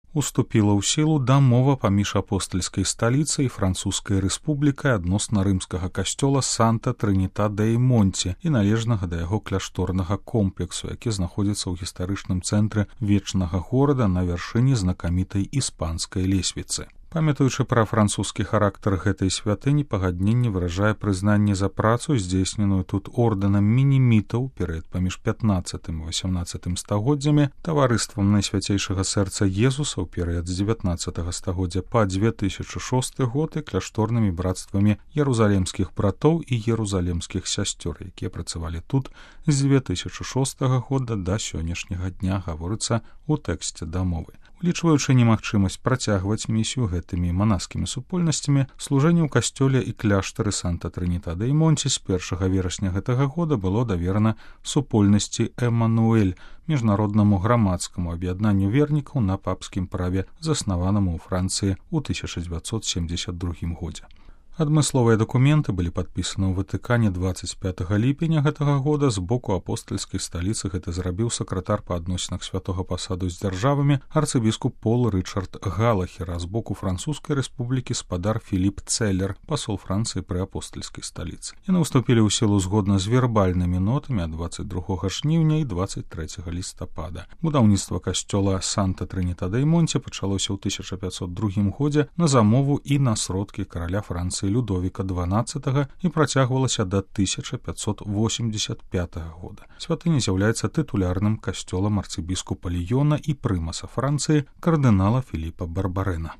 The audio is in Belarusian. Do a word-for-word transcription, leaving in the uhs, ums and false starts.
Уступіла ў сілу дамова паміж апостальскай сталіцай і французскай рэспублікай адносна рымскага касцёла Санта-Трыніта-дэй-Монці і належнага да яго кляшторнага комплексу, які знаходзіцца ў гістарычным цэнтры вечнага горада на вяршыні знакамітай іспанскай лесвіцы. Памятаючы пра французскі характар гэтай святыні, пагадненне выражае прызнанне за працу, здзейсненую тут ордэнам мінімітаў перыяд паміж пятнаццатым і васямнаццатым стагоддзямі, таварыствам Найсвяцейшага сэрца Езуса ў перыяд з дзевятнаццатага стагоддзя па дзве тысячы шосты год і кляшторнымі брацтвамі ерузалемскіх братоў і ерузалемскіх сясцёр, якія працавалі тут з дзве тысячы шостага года да сённяшняга дня, гаворыцца ў тэксце дамовы. Улічваючы немагчымасць працягваць місію гэтымі манаскімі супольнасцямі, служэнне ў касцёле і кляштары Санта-Трыніта-дэй-Монці з першага верасня гэтага года было даверана супольнасці Эмануэль, міжнароднаму грамадскаму аб'яднанню вернікаў на папскім праве, заснаванаму ў Францыі ў тысяча дзевяцьсот семдзесят другім годзе. Адмысловыя дакументы былі падпісаны ў Ватыкане дваццаць пятага ліпеня гэтага года. З боку апостальскай сталіцы гэта зрабіў сакратар па адносінах святога пасаду з дзяржавамі арцыбіскуп Пол Рычард Галахер, а з боку французскай рэспублікі спадар Філіп Цэлер, пасол Францыі пры апостальскай сталіцы. Яны ўступілі ў сілу згодна з вербальнымі нотамі ад дваццаць другога жніўня і дваццаць трэцяга лістапада. Будаўніцтва касцёла Санта-Трыніта-дэй-Монці пачалося ў тысяча пятьсот другім годзе на замову і на сродкі караля Францыі Людовіка дванаццатага і працягвалася да тысяча пятьсот восемьдесят пятага года. Святыня з'яўляецца тытулярным касцёлам арцыбіскупа Ліёна і прымаса Францыі кардынала Філіпа Барбарэна.